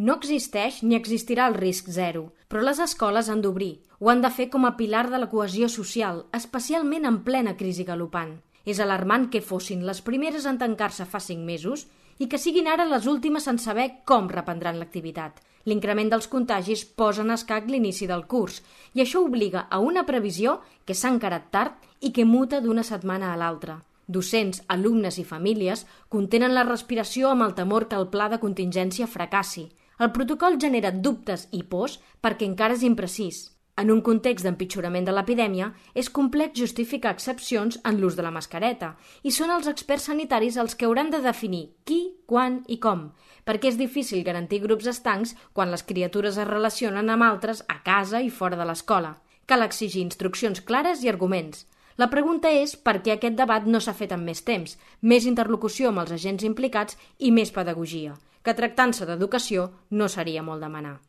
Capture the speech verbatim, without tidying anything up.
No existeix ni existirà el risc zero, però les escoles han d'obrir. Ho han de fer com a pilar de la cohesió social, especialment en plena crisi galopant. És alarmant que fossin les primeres en tancar-se fa cinc mesos i que siguin ara les últimes en saber com reprendran l'activitat. L'increment dels contagis posa en escac l'inici del curs i això obliga a una previsió que s'ha encarat tard i que muta d'una setmana a l'altra. Docents, alumnes i famílies contenen la respiració amb el temor que el pla de contingència fracassi. El protocol genera dubtes i pors perquè encara és imprecís. En un context d'empitjorament de l'epidèmia, és complex justificar excepcions en l'ús de la mascareta i són els experts sanitaris els que hauran de definir qui, quan i com, perquè és difícil garantir grups estancs quan les criatures es relacionen amb altres a casa i fora de l'escola. Cal exigir instruccions clares i arguments. La pregunta és per què aquest debat no s'ha fet en més temps, més interlocució amb els agents implicats i més pedagogia, que tractant-se d'educació no seria molt demanar.